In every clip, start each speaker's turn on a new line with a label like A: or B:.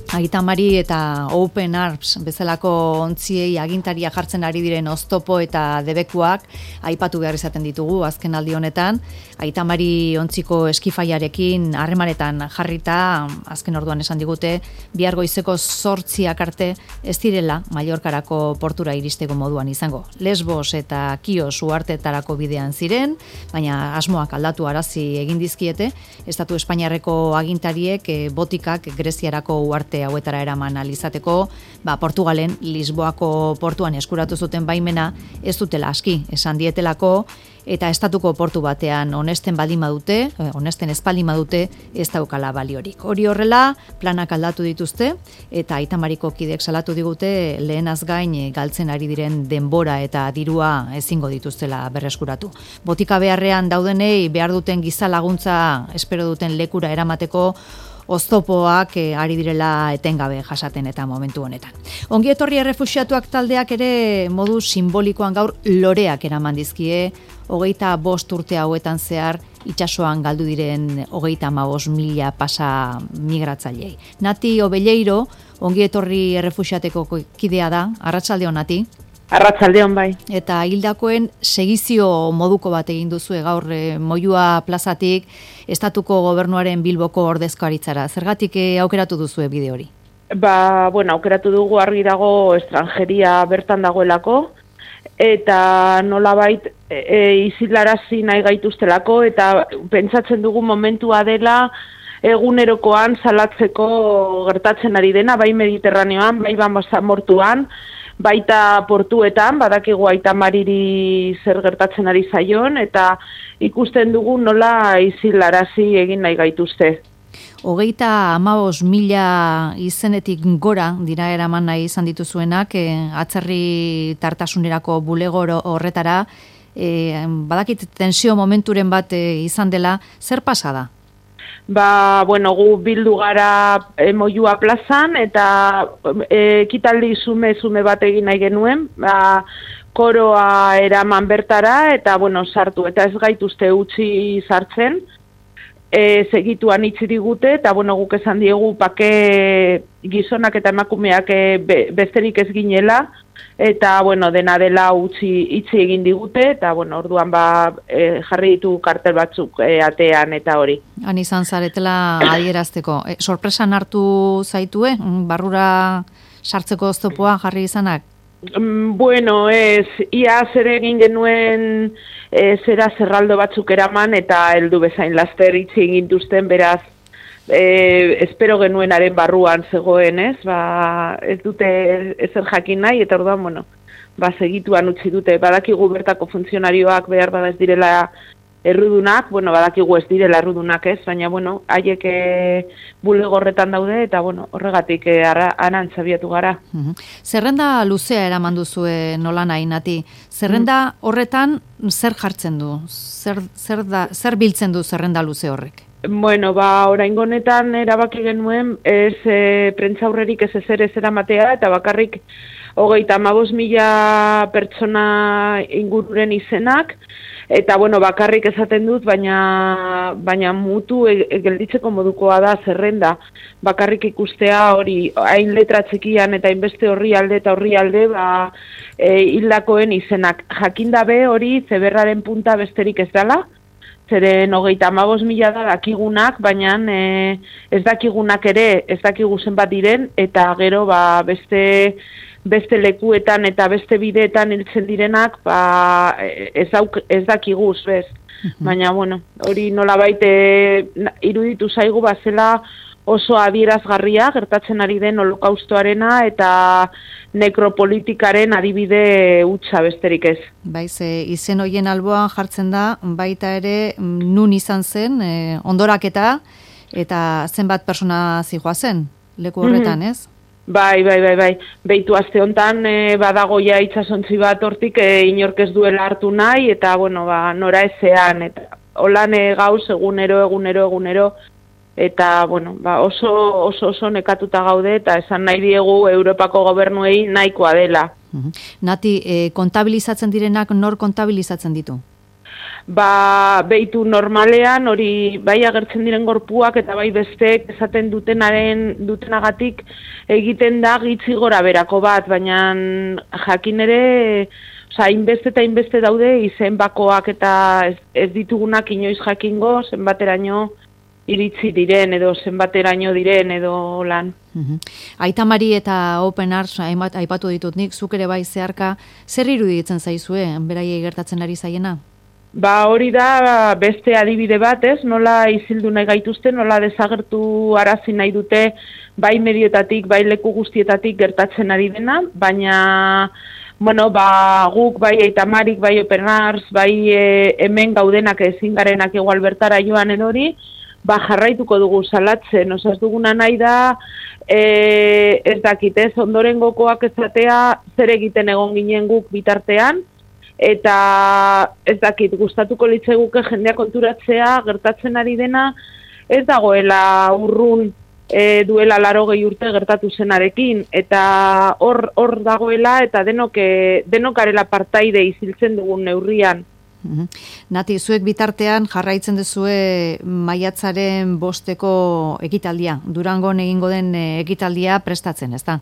A: Aita Mari eta Open Arms bezalako ontziei agintaria jartzen ari diren oztopo eta debekuak aipatu behar izaten ditugu azken aldi honetan. Aita Mari ontziko eskifaiarekin harremanetan jarrita, azken orduan esan digute, bihar goizeko 8 arte ez direla Mallorcarako portura iristeko moduan izango. Lesbos eta Kios uhartetarako bidean ziren, baina asmoak aldatu arazi egin dizkiete, Estatu Espainiarreko agintariek botikak Greziarako uharte hauetara eraman alizateko, Portugalen Lisboako portuan eskuratu zuten baimena ez dutela aski, esan dietelako, eta estatuko portu batean onesten ez baldin badute ez daukala baliorik. Hori horrela, planak aldatu dituzte, eta Aita Mariko kidek salatu digute lehenaz gain galtzen ari diren denbora eta dirua ezingo dituztela berreskuratu. Botika beharrean daudenei behar duten giza laguntza espero duten lekura eramateko oztopoak ari direla etengabe jasaten eta momentu honetan. Ongi etorri errefuxiatuak taldeak ere modu simbolikoan gaur loreak eraman dizkie 25 urte hauetan zehar itsasoan galdu diren 35.000 pasa migratzaileei. Nati Obelleiro, ongi etorri errefuxiateko kidea da, arratsaldeon Nati.
B: Arratsaldeon bai.
A: Eta hildakoen segizio moduko bat egin duzue gaur Moyua plazatik estatuko gobernuaren Bilboko ordezkaritzara. Zergatik aukeratu duzue bide hori?
B: Aukeratu dugu argi dago estrangeria bertan dagoelako, eta nolabait izilarazi nahi gaituztelako, eta pentsatzen dugu momentua dela egunerokoan salatzeko gertatzen ari dena, bai Mediterraneoan, bai Basamortuan, baita portuetan, badakigu Aita Mariri zer gertatzen ari zaion, eta ikusten dugu nola izilarazi egin nahi gaituzte.
A: 35.000 izenetik gora dira eraman nahi izan dituzuenak, atzerri tartasunerako bulegoro horretara, badakit tensio momenturen bat izan dela, zer pasa da?
B: Gu bildu gara Moyua plazan, eta ekitaldi zume bat egin nahi genuen, koroa eraman bertara, eta sartu, eta ez gaituzte utzi sartzen, segituan itzi digute, eta guk esan diegu pake gizonak eta emakumeak besterik ez ginela, eta dena dela itzi egin digute, eta orduan jarri ditu kartel batzuk atean eta hori.
A: Han izan zaretela adierazteko. Sorpresan hartu zaitue, barrura sartzeko oztopoa jarri izanak?
B: Ia zer egin genuen zerraldo batzuk eraman eta heldu bezain laster itzi egin duzten, beraz, espero genuenaren barruan zegoen, ez? Ez dute ezer jakin nahi, eta orduan, segituan utzi dute. Badakigu bertako funtzionarioak behar bada ez direla errudunak, badakigu ez direla errudunak ez, baina, haiek bulegorretan daude, eta, horregatik aran zabiatu gara.
A: Zerrenda luzea eraman duzue nola nahi, Nati. Zerrenda horretan zer jartzen du? Zer biltzen du zerrenda luze horrek?
B: Oraingo honetan erabaki genuen ez prentzaurrerik ez eramatea, eta bakarrik 35.000 pertsona ingururen izenak, eta bakarrik esaten dut, baina mutu gelditzeko modukoa da zerrenda. Bakarrik ikustea hori hain letra txikian eta hainbeste orrialde eta orrialde hildakoen izenak. Jakindabe hori zeberraren punta besterik ez dela, zeren 35.000 da dakigunak, baina ez dakigunak ere, ez dakigu zenbat diren, eta gero beste lekuetan eta beste bideetan hiltzen direnak, ez dakiguz, bez. Baina, hori nolabait iruditu zaigu bazela oso adierazgarria gertatzen ari den holokaustoarena eta nekropolitikaren adibide hutsa besterik ez.
A: Izen hoien alboan jartzen da, baita ere nun izan zen, ondoraketa, eta zenbat persona zijoazen leku horretan, ez?
B: Bai. Beitu aste hontan badago ja itsasontzi bat hortik inork ez duela hartu nahi, eta nora ezean, eta holan gauz egunero, eta oso nekatuta gaude, eta esan nahi diegu Europako gobernuei nahikoa dela.
A: Nati, kontabilizatzen direnak nor kontabilizatzen ditu?
B: behitu normalean, hori bai agertzen diren gorpuak eta bai besteek esaten dutenagatik egiten da gitzi gora berako bat, baina jakin ere, hainbeste eta hainbeste daude izen bakoak eta ez ditugunak inoiz jakingo zenbateraino iritzi diren edo zenbateraino diren edo lan.
A: Aita Mari eta Open Arts aipatu ditut nik, zuk ere bai zeharka, zer iruditzen zaizue, beraiei gertatzen ari zaiena?
B: Hori da beste adibide bat, ez? Nola izildu nahi gaituzte, nola desagertu arazi nahi dute bai medioetatik, bai leku guztietatik gertatzen ari dena, baina guk bai Aita Marik, bai Open Arts, bai hemen gaudenak ezin garenak igual bertara joanen hori, jarraituko dugu salatzen, ez duguna nahi da, ez dakit, ondorengokoak ezatea zer egiten egon ginen guk bitartean, eta ez dakit, gustatuko litzaiguke jendea konturatzea, gertatzen ari dena, ez dagoela urrun duela 80 urte gertatu zenarekin, eta hor dagoela, eta denok garela partaide iziltzen dugun neurrian.
A: Nati, zuek bitartean jarraitzen duzue maiatzaren 5eko ekitaldia, Durangon egingo den ekitaldia prestatzen, ezta?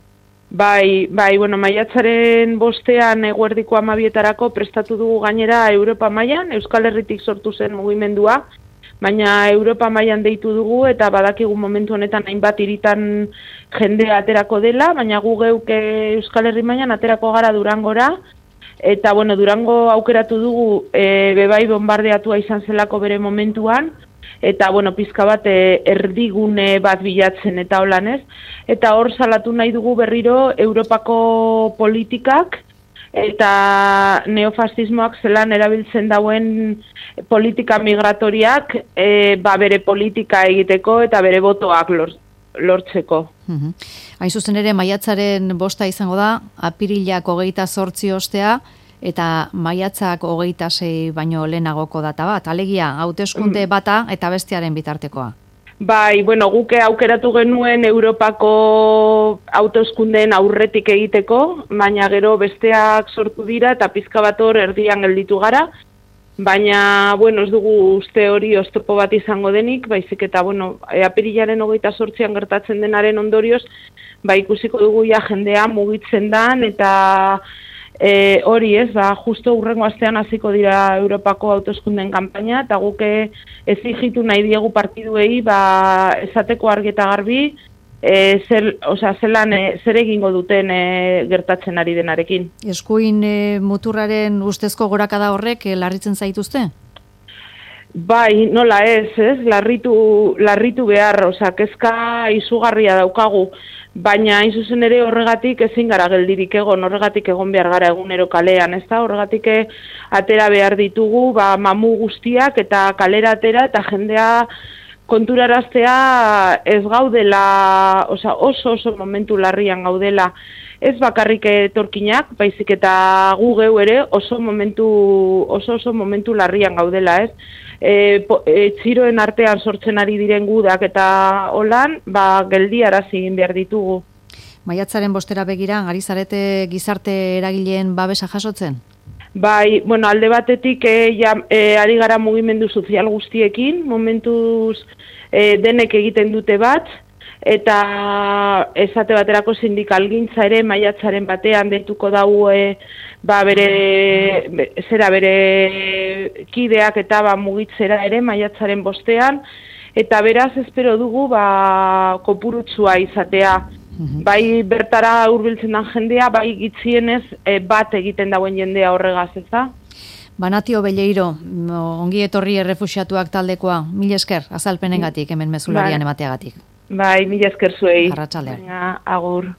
B: Bai, maiatzaren 5ean eguerdiko 12etarako prestatu dugu gainera Europa mailan, Euskal Herritik sortu zen mugimendua, baina Europa mailan deitu dugu eta badakigu momentu honetan hainbat hiritan jendea aterako dela, baina gu geuk Euskal Herri mailan aterako gara Durangora, eta Durango aukeratu dugu bebai bombardeatua izan zelako bere momentuan, eta pizka bat erdigune bat bilatzen eta holan ez, eta hor salatu nahi dugu berriro Europako politikak eta neofasismoak zelan erabiltzen dauen politika migratoriak bere politika egiteko eta bere botoak lortzeko.
A: Hain zuzen ere, maiatzaren 5 izango da, apirilak 28 ostea, eta maiatzak 26 baino lehenagoko data bat, alegia, hauteskunde bata eta bestearen bitartekoa.
B: Bai, guke aukeratu genuen Europako hauteskundeen aurretik egiteko, baina gero besteak sortu dira eta pizka bat hor erdian gelditu gara, baina, ez dugu uste hori oztopo bat izango denik, baizik eta, apirilaren 28an gertatzen denaren ondorioz, ikusiko dugu ja jendea mugitzen dan, eta hori ez, justo hurrengo astean hasiko dira Europako hauteskunden kanpaina, eta guke exigitu nahi diegu partiduei, esateko argi eta garbi, zer egingo duten gertatzen ari denarekin.
A: Eskuin muturraren ustezko gorakada horrek larritzen zaituzte?
B: Bai, nola ez, larritu behar, kezka izugarria daukagu, baina hain zuzen ere horregatik ezin gara geldirik egon, horregatik egon behar gara egunero kalean, ez da? Horregatik atera behar ditugu, mamu guztiak eta kalera atera eta jendea konturaraztea ez gaudela, oso momentu larrian gaudela, ez bakarrik etorkinak, baizik eta gu geu ere oso momentu larrian gaudela, ez? Txiroen artean sortzen ari diren gudak eta holan, geldiarazi egin behar ditugu.
A: Maiatzaren 5 begira, ari zarete gizarte eragileen babesa jasotzen?
B: Bai, alde batetik ari gara mugimendu sozial guztiekin, momentuz denek egiten dute bat, eta esate baterako sindikalgintza ere maiatzaren batean deituko dau bere kideak eta mugitzera ere maiatzaren 5ean, eta beraz espero dugu kopurutsua izatea. Bai bertara hurbiltzen den jendea, bai gitzienez bat egiten dauen jendea horregaz, ez da?
A: Nati Obelleiro, ongi etorri errefuxiatuak taldekoa, mila esker azalpenengatik, hemen mezularian emateagatik.
B: Bai, mila esker zuei.
A: Arratsaldean.
B: Agur.